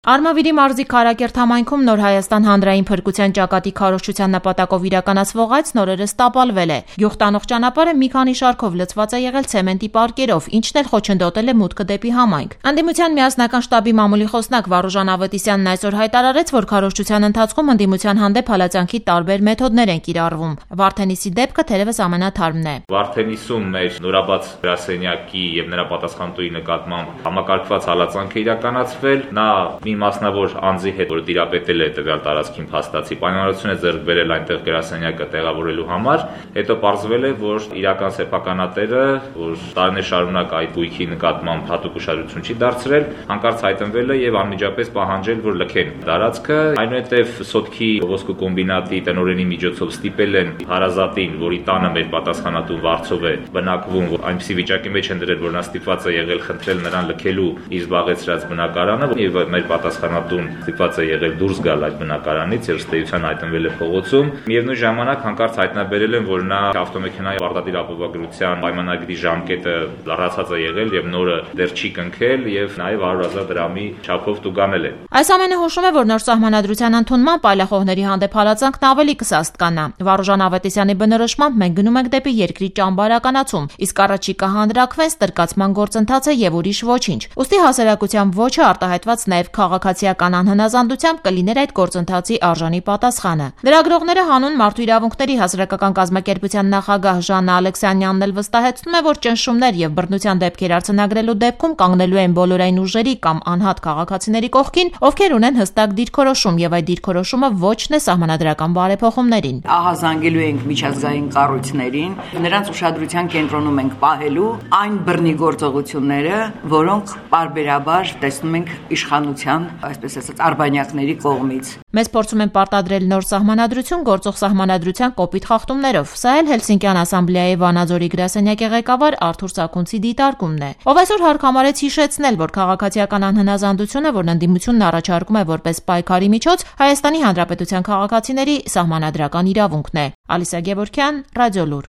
Արմավիրի մարզի Քարակերտ համայնքում Նոր Հայաստան հանրային փրկության ճակատի քարոզչության նպատակով իրականացվող այցն օրերս տապալվել է։ Գյուղ տանող ճանապարհը մի քանի շարքով լցված է եղել ցեմենտի պարկերով, ինչն էլ խոչընդոտել է մուտքը դեպի համայնք։ Ընդդիմության միասնական շտաբի մամուլի խոսնակ Վարուժան Ավետիսյանն այսօր հայտարարեց, որ քարոզչության ընթացքում ընդդիմության հանդեպ հալածանքի տարբեր մեթոդներ են կիրառվում։ Վարդենիսի դեպքը թերևս ամենաթարմն է։ Վարդենիսում մեր նորաբաց գրասենյակի եւ նրա պատասխանատուի նկատմամբ համակարգված հալածանք է իրականացվել։ Նա մի մասնավոր անձի հետ, որ դիրապետել է տվյալ տարածքին փաստացի, պայմանավորություն է ձեռք բերել այնտեղ գրասենյակը տեղավորելու համար, հետո պարզվել է, որ իրական սեփականատերը, որ տարիներ շարունակ այդ գույքի նկատմամբ հատուկ ուշադրություն չի դարձրել, հանկարծ հայտնվել է եւ անմիջապես պահանջել, որ լքեն տարածքը, այնուհետեւ Սոտքի ոսկու կոմբինատի տնօրենի միջոցով ստիպել են հարազատին, որի տանը մեր պատասխանատու Վարդցով է բնակվում, այնպիսի վիճակի մեջ են դրել, որ նա ստիպված է եղել խնդրել նրան լքելու իր զբաղեցրած բնակարանը եւ մեր պատասխանատուն ստիպված է եղել դուրս գալ այդ բնակարանից եւ ըստ էության հայտնվել է փողոցում։ Միևնույն ժամանակ հանկարծ հայտնաբերել են, որ նա ավտոմեքենայի պարտադիր ապահովագրության պայմանագրի ժամկետը լրացած է եղել եւ նորը դեռ չի կնքել եւ նաեւ 100,000 դրամի չափով տուգանել է։ Այս ամենը հուշում է, որ նոր սահմանադրության ընդունմամբ այլախոհների հանդեպ հալածանքն ավելի կսաստկանա։ Վարուժան Ավետիսյանի բնորոշմամբ մենք գնում ենք դեպի երկրի ճամբարականացում, իսկ առաջիկա հանրաքվեն ստրկացման գործընթաց է եւ ուրիշ ոչինչ։ Ուստի հասարակության ոչը արտահայտված նաեւ քաղաքացիական անհնազանդությամբ կլիներ այդ գործընթացի արժանի պատասխանը։ Լրագրողները հանուն Մարդու իրավունքների հասարակական կազմակերպության նախագահ Ժաննա Ալեքսանյանն էլ վստահեցնում է, որ ճնշումներ եւ բռնության դեպքեր արձանագրելու դեպքում կանգնելու են բոլորային ուժերի կամ անհատ քաղաքացիների կողքին, ովքեր ունեն հստակ դիրքորոշում եւ այդ դիրքորոշումը ոչն է սահմանադրական բարեփոխումներին։ Ահազանգելու ենք միջազգային կառույցներին, նրանց ուշադրության կենտրոնում ենք պահելու այն բռնի գործողությունները, որոնք պարբերաբար տեսնում ենք իշխանության, այսպես ասած, արբանյակների կողմից։ Մեզ փորձում են պարտադրել նոր սահմանադրություն գործող սահմանադրության կոպիտ խախտումներով։ Սա էլ Հելսինկյան ասամբլեայի Վանաձորի գրասենյակի ղեկավար Արթուր Սաքունցի դիտարկումն է, ով այսօր հարկամարեց հիշեցնել, որ քաղաքացիական անհնազանդությունը, որն ընդդիմությունն առաջարկում է որպես պայքարի միջոց, Հայաստանի Հանրապետության քաղաքացիների սահմանադրական իրավունքն է։ Ալիսա Գևորգյան, Ռադիոլուր։